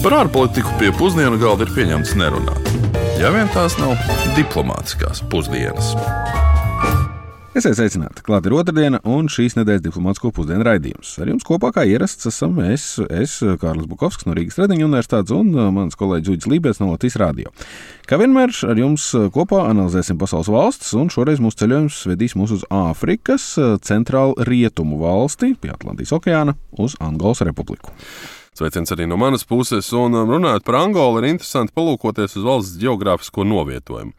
Par ārpolitiku pie pusdienu galda ir pieņemts nerunāt. Ja vien tās nav diplomātiskās pusdienas. Esiet sveicināti, klāt ir otrdiena un šīs nedēļas diplomātisko pusdienu raidījums. Ar jums kopā kā ierasts esam es Kārlis Bukovskis no Rīgas Tradiņu universitātes un mans kolēģis Uģis Lībēts no Latvijas radio. Kā vienmēr ar jums kopā analizēsim pasaules valstis un šoreiz mūsu ceļojums vedīs mūs uz Āfrikas centrālu rietumu valsti pie Atlantijas okeāna uz Angolas republiku. Sveiciens arī no manas puses, un runājot par Angolu, ir interesanti palūkoties uz valsts ģeogrāfisko novietojumu.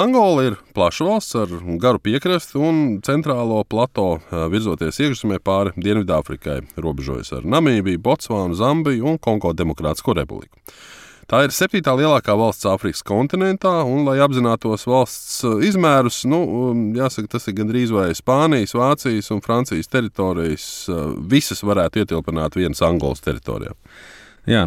Angola ir plaša valsts ar garu piekrasti un centrālo plato virzoties iekšzemē pāri Dienvidāfrikai, robežojas ar Namībiju, Botsvānu, Zambiju un Kongo Demokrātisko republiku. Tā ir 7. lielākā valsts Āfrikas kontinentā, un, lai apzinātos valsts izmērus, jāsaka, tas ir gandrīz vai Spānijas, Vācijas un Francijas teritorijas visas varētu ietilpināt vienas Angolas teritorijā. Jā,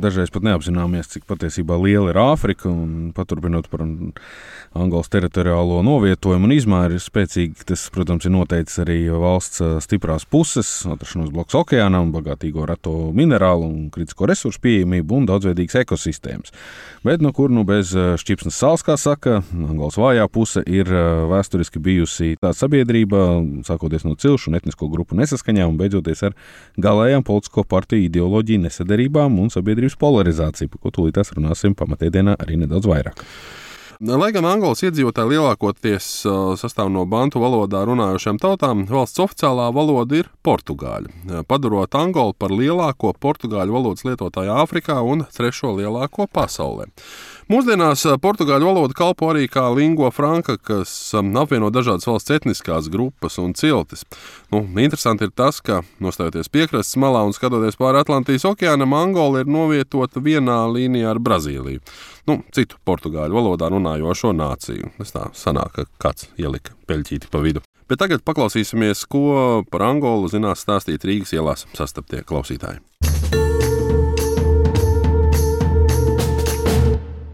dažreiz pat neapzināmies, cik patiesībā liela ir Āfrika, un paturpinot par Angolas teritoriālo novietojumu un izmēru ir spēcīgi. Tas, protams, ir noteicis arī valsts stiprās puses, atrašanos blakus okeānam, bagātīgo reto minerālu un kritisko resursu pieejamību un daudzveidīgas ekosistēmas. Bet, kur bez šķipsnes sāls, kā saka, Angolas vājā puse ir vēsturiski bijusi tāda sabiedrība, sākoties no cilšu un etnisko grupu nesaskaņām un beidzoties ar galējām politisko partiju ideoloģiju nesaderību un sabiedrības polarizāciju, par ko tūlītās runāsim pamatēdienā arī nedaudz vairāk. Lai gan Angolas iedzīvotāji lielākoties sastāv no bantu valodā runājošām tautām, valsts oficiālā valoda ir portugāļu, padarot Angolu par lielāko portugāļu valodas lietotāju Āfrikā un 3. lielāko pasaulē. Mūsdienās portugāļu valoda kalpo arī kā lingua franca, kas apvieno dažādas valsts etniskās grupas un ciltis. Interesanti ir tas, ka, nostājoties piekrastes malā un skatoties pāri Atlantijas okeānam, Angola ir novietota vienā līnijā ar Brazīliju. Citu portugāļu valodā runājošo nāciju. Tas tā sanāk, ka kāds ielika peļķīti pa vidu. Bet tagad paklausīsimies, ko par Angolu zinās stāstīt Rīgas ielās sastaptie klausītāji.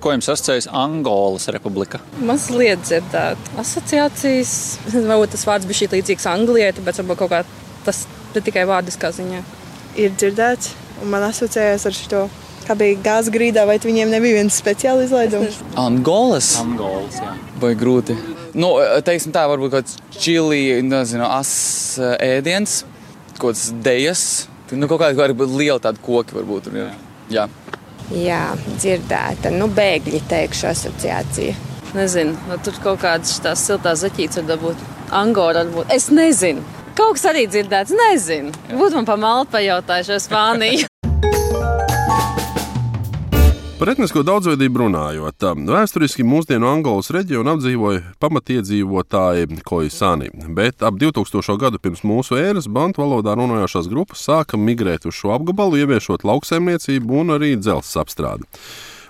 Ko jums asociējas Angolas republika? Mazliet dzirdēt. Asociācijas, varbūt tas vārds bija šī līdzīgs Anglijai, tāpēc varbūt kaut kā tas tikai vārdiskā ziņā. Ir dzirdēts, un man asociējas ar šo, kā bija gāzes grīdā, vai viņiem nebija viens speciāli izlaidums? Angolas, jā. Vai grūti? Teiksim tā, varbūt kaut kāds čili, ēdiens, kaut kāds dejas, kaut kādi varbūt lieli tādi koki varbūt. Jā. Jā, dzirdēta. Bēgļi teikšu asociācija. Nezinu, tur kaut kādas tās siltās zaķītes var dabūt. Angora varbūt. Es nezinu. Kaut kas arī dzirdēts, nezinu. Būtu man pa malu pajautājuši Spāniju. Par etnisko daudzveidību runājot, vēsturiski mūsdienu Angolas reģionu apdzīvoja pamatiedzīvotāji Koisani, bet ap 2000. gadu pirms mūsu ēras bantu valodā runājošās grupas sāka migrēt uz šo apgabalu, ieviešot lauksaimniecību un arī dzelzs apstrādi.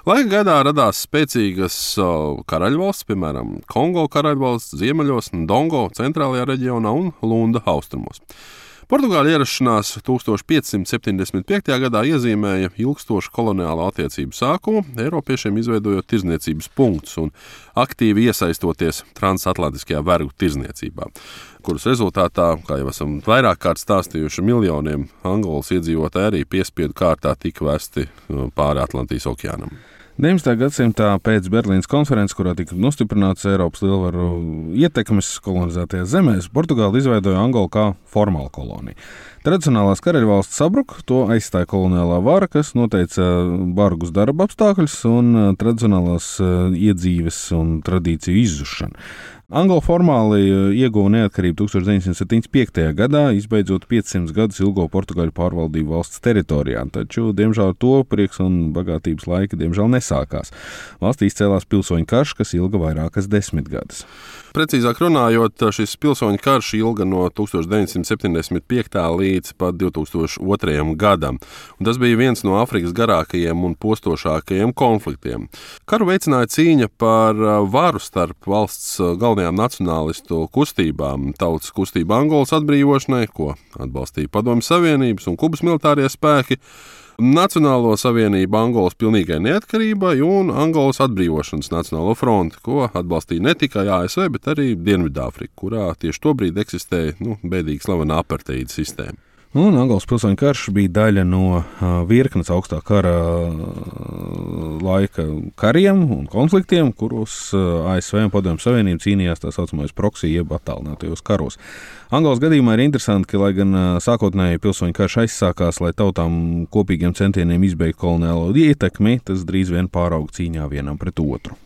Laika gaitā radās spēcīgas karaļvalsts, piemēram, Kongo karaļvalsts ziemeļos, Ndongo centrālajā reģionā un Lunda austrumos. Portugāļu ierašanās 1575. gadā iezīmēja ilgstošu koloniālo attiecību sākumu, Eiropiešiem izveidojot tirdzniecības punktus un aktīvi iesaistoties transatlantiskajā vergu tirdzniecībā, kuras rezultātā, kā jau esam vairāk kārt stāstījuši, miljoniem Angolas iedzīvotāji arī piespiedu kārtā tika vesti pāri Atlantijas okeānam. 19. gadsimtā pēc Berlīnas konferences, kurā tika nostiprināts Eiropas lielvaru ietekmes kolonizētajās zemēs, Portugāla izveidoja Angolu kā formālu koloniju. Tradicionālās karaļvalsts sabruka, to aizstāja koloniālā vara, kas noteica bargus darba apstākļus un tradicionālās iedzīves un tradīciju izzušanu. Angola formāli ieguva neatkarību 1975. gadā, izbeidzot 500 gadus ilgo Portugāļu pārvaldību valsts teritorijā, taču, diemžēl, to prieks un bagātības laiki, diemžēl, nesākās. Valstī izcēlās pilsoņu karš, kas ilga vairākas 10 gadus. Precīzāk runājot, šis pilsoņu karš ilga no 1975. līdz pat 2002. gadam, un tas bija viens no Āfrikas garākajiem un postošākajiem konfliktiem. Karu veicināja cīņa par varu starp valsts galvenajām nacionālistu kustībām, tautas kustība Angolas atbrīvošanai, ko atbalstīja Padomju Savienības un Kubas militārie spēki, Nacionālo savienību Angolas pilnīgai neatkarībai un Angolas atbrīvošanas Nacionālo fronti, ko atbalstīja ne tikai ASV, bet arī Dienvidāfrika, kurā tieši tobrīd eksistēja bēdīgi slavena apartheida sistēma. Un Angolas pilsoņu karš bija daļa no virknes augstā kara laika kariem un konfliktiem, kuros ASV un Padomju Savienība cīnījās tā saucamais proxy jeb attālinātajos karos. Angolas gadījumā ir interesanti, ka, lai gan sākotnēji pilsoņu karš aizsākās, lai tautām kopīgiem centieniem izbeigt koloniālo ietekmi, tas drīz vien pārauga cīņā vienam pret otru.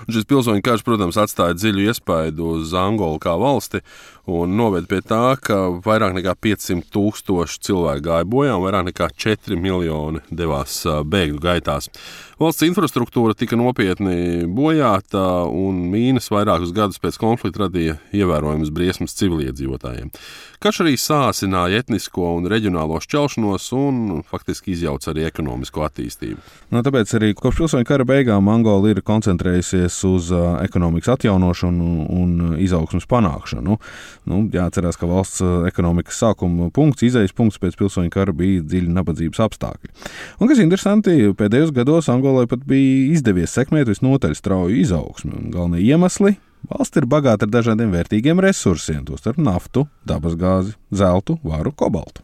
Šis pilsoņu karš, protams, atstāja dziļu iespaidu uz Angolu kā valsti un noved pie tā, ka vairāk nekā 500,000 cilvēku gāja bojā un vairāk nekā 4 miljoni devās bēgļu gaitās. Valsts infrastruktūra tika nopietni bojāta un mīnas vairākus gadus pēc konflikta radīja ievērojamas briesmas civiliedzīvotājiem. Karš arī sāsināja etnisko un reģionālo šķelšanos un faktiski izjauca arī ekonomisko attīstību. Tāpēc arī kopš pilsoņu kara beigām Angola ir koncentrējusies uz ekonomikas atjaunošanu un izaugsmas panākšanu. Jāatcerās, ka valsts ekonomikas sākuma punkts, izejas punkts pēc pilsoņu kara bija dziļi nabadzības apstākļi. Un, kas interesanti, pēdējos gados Angolai pat bija izdevies sekmēt visnotaļ strauju izaugsmi. Galvenie iemesli - valsts ir bagāta ar dažādiem vērtīgiem resursiem, tostarp naftu, dabasgāzi, zeltu, varu, kobaltu.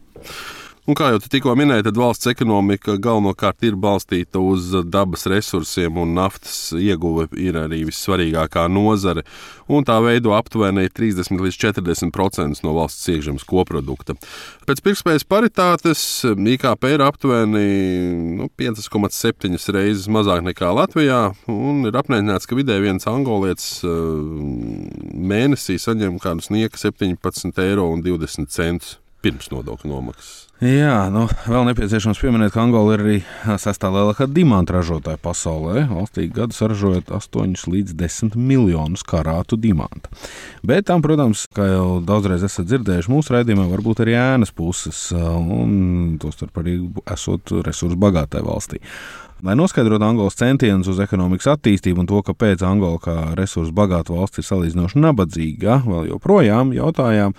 Un kā jau tu tikko minēji, tad valsts ekonomika galvenokārt ir balstīta uz dabas resursiem, un naftas ieguve ir arī vissvarīgākā nozare, un tā veido aptuveni 30 līdz 40% no valsts iekšzemes koprodukta. Pēc pirktspējas paritātes IKP ir aptuveni 5,7 reizes mazāk nekā Latvijā, un ir aprēķināts, ka vidēji viens angolietis mēnesī saņem kādu snieka 17,20 eiro pirms nodokļu nomaksas. Jā, vēl nepieciešams pieminēt, ka Angola ir arī 6. lielākā dimanta ražotāja pasaulē. Valstī gadu saražojot 8 līdz 10 miljonus karātu dimanta. Bet tam, protams, kā jau daudzreiz esat dzirdējuši mūsu raidījumā, varbūt arī ēnas puses, un tostarp arī esot resursu bagātai valstī. Lai noskaidrotu Angolas centienus uz ekonomikas attīstību un to, kāpēc Angola kā resursu bagāta valsts ir salīdzinoši nabadzīga, vēl joprojām jautājām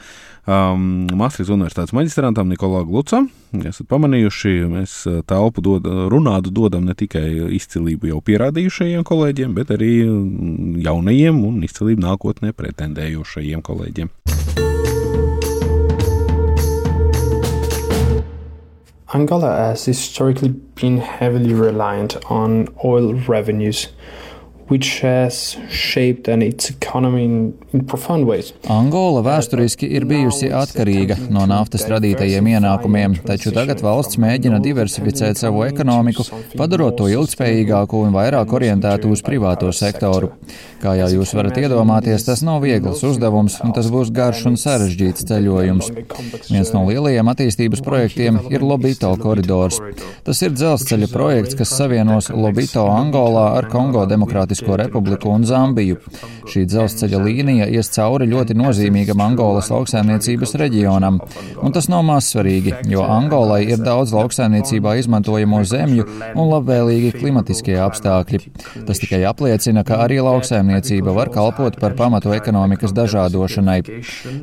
Maastrichtas Universitātes maģistrantam Nikolā Glucam. Esat pamanījuši, mēs telpu runādu dodam ne tikai izcilību jau pierādījušajiem kolēģiem, bet arī jaunajiem un izcilību nākotnē pretendējošajiem kolēģiem. Angola has historically been heavily reliant on oil revenues, which has shaped its economy in profound ways. Angola vēsturiski ir bijusi atkarīga no naftas radītajiem ienākumiem, taču tagad valsts mēģina diversificēt savu ekonomiku, padarot to ilgspējīgāku un vairāk orientētu uz privāto sektoru. Kā jau jūs varat iedomāties, tas nav viegls uzdevums, un tas būs garš un sarežģīts ceļojums. Viens no lielajiem attīstības projektiem ir Lobito koridors. Tas ir dzelzceļa projekts, kas savienos Lobito Angolā ar Kongo Demokrātisko Republiku un Zambiju. Šī dzelzceļa līnija ies cauri ļoti nozīmīgam Angolas lauksaimniecības reģionam. Un tas nav maz svarīgi, jo Angolai ir daudz lauksaimniecībā izmantojamo zemju un labvēlīgi klimatiskie apstākļi. Tas tikai apliecina, ka arī lauksaimniecība var kalpot par pamatu ekonomikas dažādošanai.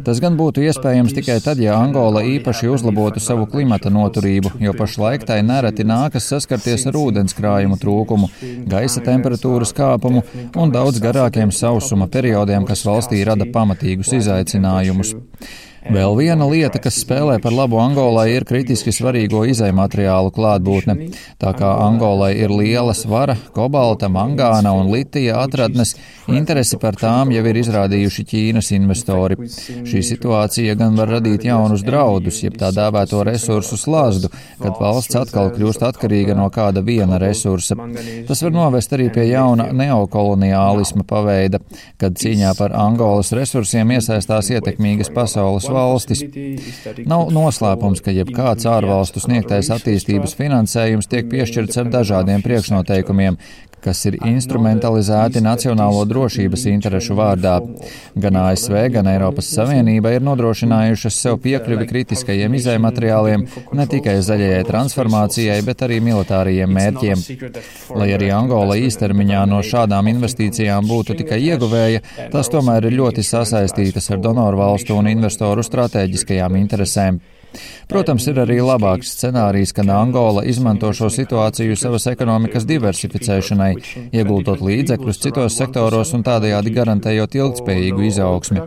Tas gan būtu iespējams tikai tad, ja Angola īpaši uzlabotu savu klimata noturību, jo pašlaik tai nereti nākas saskarties ar ūdenskrājumu trūkumu, gaisa temperatūras kāpumu un daudz garākiem sausuma periodiem, kas valstī rada pamatīgus izaicinājumus. Vēl viena lieta, kas spēlē par labu Angolai, ir kritiski svarīgo izejmateriālu klātbūtne. Tā kā Angolai ir liela svara, kobalta, mangāna un litija atradnes, interesi par tām jau ir izrādījuši Ķīnas investori. Šī situācija gan var radīt jaunus draudus, jeb tā dēvēto resursu slazdu, kad valsts atkal kļūst atkarīga no kāda viena resursa. Tas var novest arī pie jauna neokoloniālisma paveida, kad cīņā par Angolas resursiem iesaistās ietekmīgas pasaules valstis. Nav noslēpums, ka jebkāds ārvalstu sniegtais attīstības finansējums tiek piešķirts ar dažādiem priekšnoteikumiem, kas ir instrumentalizēti nacionālo drošības interešu vārdā. Gan ASV, gan Eiropas Savienība ir nodrošinājušas sev piekļuvi kritiskajiem izejmateriāliem ne tikai zaļajai transformācijai, bet arī militārajiem mērķiem. Lai arī Angola īstermiņā no šādām investīcijām būtu tikai ieguvēja, tas tomēr ir ļoti sasaistītas ar donoru valstu un investoru stratēģiskajām interesēm. Protams, ir arī labāks scenārijs, kad Angola izmanto šo situāciju savas ekonomikas diversificēšanai, ieguldot līdzekļus citos sektoros un tādējādi garantējot ilgtspējīgu izaugsmi.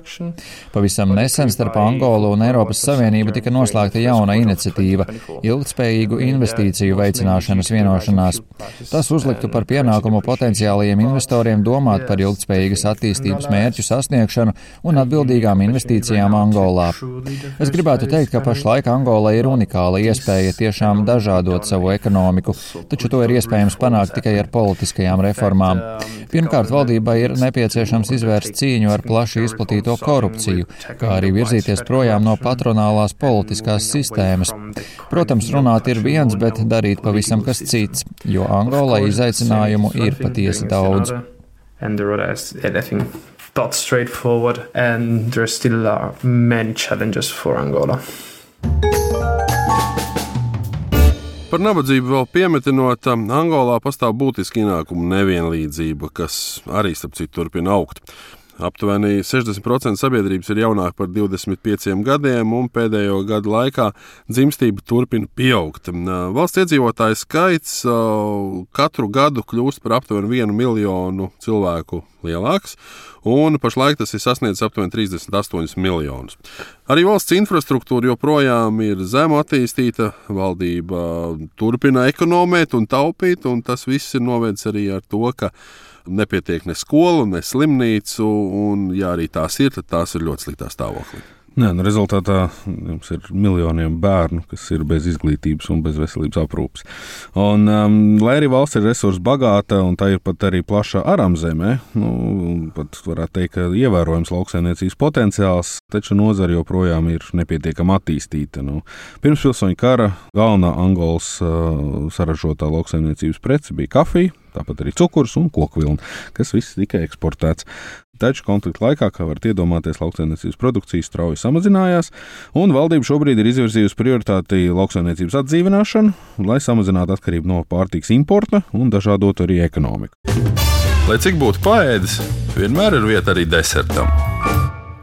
Pavisam nesen starp Angolu un Eiropas Savienību tika noslēgta jauna iniciatīva – ilgtspējīgu investīciju veicināšanas vienošanās. Tas uzliktu par pienākumu potenciālajiem investoriem domāt par ilgtspējīgas attīstības mērķu sasniegšanu un atbildīgām investīcijām Angolā. Es gribētu teikt, ka pašlaik Angola ir unikāla iespēja tiešām dažādot savu ekonomiku, taču to ir iespējams panākt tikai ar politiskajām reformām. Pirmkārt, valdībai ir nepieciešams izvērst cīņu ar plaši izplatīto korupciju, kā arī virzīties projām no patronālās politiskās sistēmas. Protams, runāt ir viens, bet darīt pavisam kas cits, jo Angolai izaicinājumu ir patiesi daudz. That's straightforward, and there still are many challenges for Angola. Par nabadzību vēl piemetinot, Angolā pastāv būtiski ienākumu nevienlīdzība, kas arī, starp citu, turpina augt. Aptuveni 60% sabiedrības ir jaunāki par 25 gadiem, un pēdējo gadu laikā dzimstība turpina pieaugt. Valsts iedzīvotāju skaits katru gadu kļūst par aptuveni 1 miljonu cilvēku lielāks, un pašlaik tas ir sasniedzis aptuveni 38 miljonus. Arī valsts infrastruktūra joprojām ir zemu attīstīta, valdība turpina ekonomēt un taupīt, un tas viss ir novedis arī ar to, ka nepietiek ne skolu, ne slimnīcu, un ja arī tās ir, tad tās ir ļoti sliktā stāvoklī. Nē, rezultātā jums ir miljoniem bērnu, kas ir bez izglītības un bez veselības aprūpes. Un, lai arī valsts ir resursu bagāta un tā ir pat arī plaša aramzemē, pat varētu teikt, ka ievērojams lauksaimniecības potenciāls, taču nozara joprojām ir nepietiekami attīstīta. Pirms pilsoņu kara galvenā Angolas saražotā lauksaimniecības prece bija kafija, tāpat arī cukurs un kokvilna, kas viss tika eksportēts. Taču konflikta laikā, kā varat iedomāties, lauksaimniecības produkcija strauji samazinājās, un valdība šobrīd ir izvirzījusi prioritāti lauksaimniecības atdzīvināšanu, lai samazinātu atkarību no pārtikas importa un dažādotu arī ekonomiku. Lai cik būtu paēdis, vienmēr ir vieta arī desertam.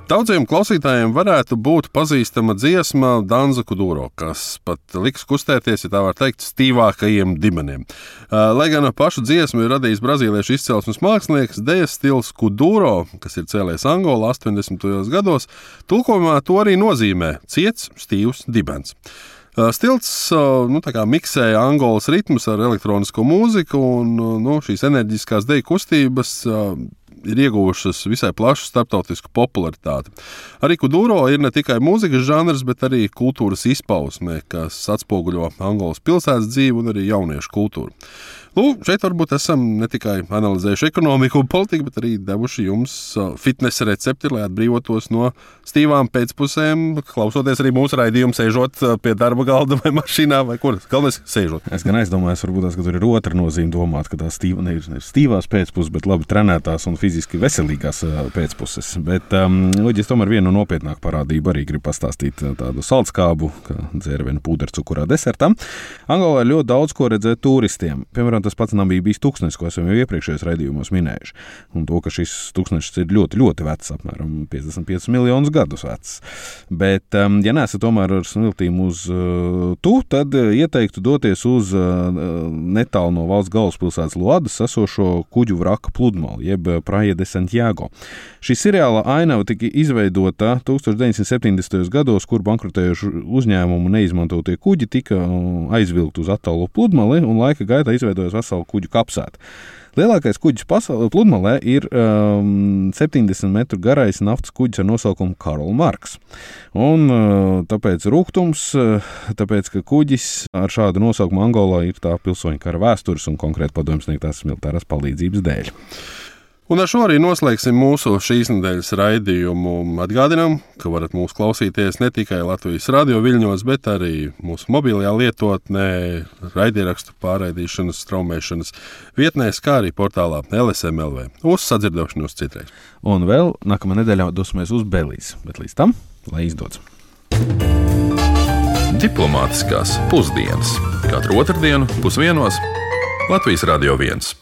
Daudziem klausītājiem varētu būt pazīstama dziesma Danza Kuduro, kas pat liks kustēties, ja tā var teikt, stīvākajiem dibeniem. Lai gan pašu dziesmu ir radījis brazīliešu izcelsmes mākslinieks, dejas stils Kuduro, kas ir cēlies Angolā 80. gados, tulkojumā to arī nozīmē ciets, stīvs dibens. Stilts tā kā miksēja Angolas ritmus ar elektronisko mūziku, un šīs enerģiskās deju kustības ir ieguvušas visai plašu starptautisku popularitāti. Arī Kuduro ir ne tikai mūzikas žanrs, bet arī kultūras izpausme, kas atspoguļo Angolas pilsētas dzīvi un arī jauniešu kultūru. Šeit varbūt esam ne tikai analizējuši ekonomiku un politiku, bet arī devuši jums fitnesa recepti, lai atbrīvotos no stīvām pēcpusēm, klausoties arī mūsu raidījumu, sēžot pie darba galda vai mašīnā, vai kur. Galvenais sēžot. Es gan aizdomājos, varbūt tās, ka tur ir otra nozīme domāt, ka tā ir stīvās pēcpuses, bet labi trenētās un fiziski veselīgās pēcpuses. Bet es tomēr vienu nopietnāku parādību arī gribu pastāstīt tādu saldskābu, kā dzērvienu pūdercukurā desertam. Angolā ir ļoti daudz ko redzēt turistiem. Piemēram, tas pats Namībijas tūkstnesis, ko esam jau iepriekšējos raidījumos minējuši. Un to, ka šis tūkstnesis ir ļoti, ļoti vecs, apmēram 55 miljonus gadus vecs. Bet, ja neesat tomēr ar smiltīm uz tad ieteiktu doties uz netālu no valsts galvaspilsētas Luadas esošo kuģu vraka pludmali, jeb Praia de Santiago. Šī seriāla ainava tika izveidota 1970. gados, kur bankrotējuši uzņēmumu neizmantotie kuģi tika aizvilkt uz attālo pludmali un laika gaitā izveidojas veselu kuģu kapsētu. Lielākais kuģis pludmalē ir 70 metru garais naftas kuģis ar nosaukumu Karl Marks. Un tāpēc rūgtums, tāpēc, ka kuģis ar šādu nosaukumu Angolā ir tā pilsoņu kara vēstures un konkrēti padomju sniegtās militārās palīdzības dēļ. Un ar šo arī noslēgsim mūsu šīs nedēļas raidījumu. Atgādinām, ka varat mūs klausīties ne tikai Latvijas radio viļņos, bet arī mūsu mobilajā lietotnē, raidierakstu pārraidīšanas, straumēšanas vietnēs, kā arī portālā LSM.LV. Uz sadzirdēšanos citreiz. Un vēl nākamā nedēļā dosimies uz Belīzi, bet līdz tam, lai izdodas. Diplomātiskās pusdienas. Katru otrdienu 12:00 Latvijas Radio 1.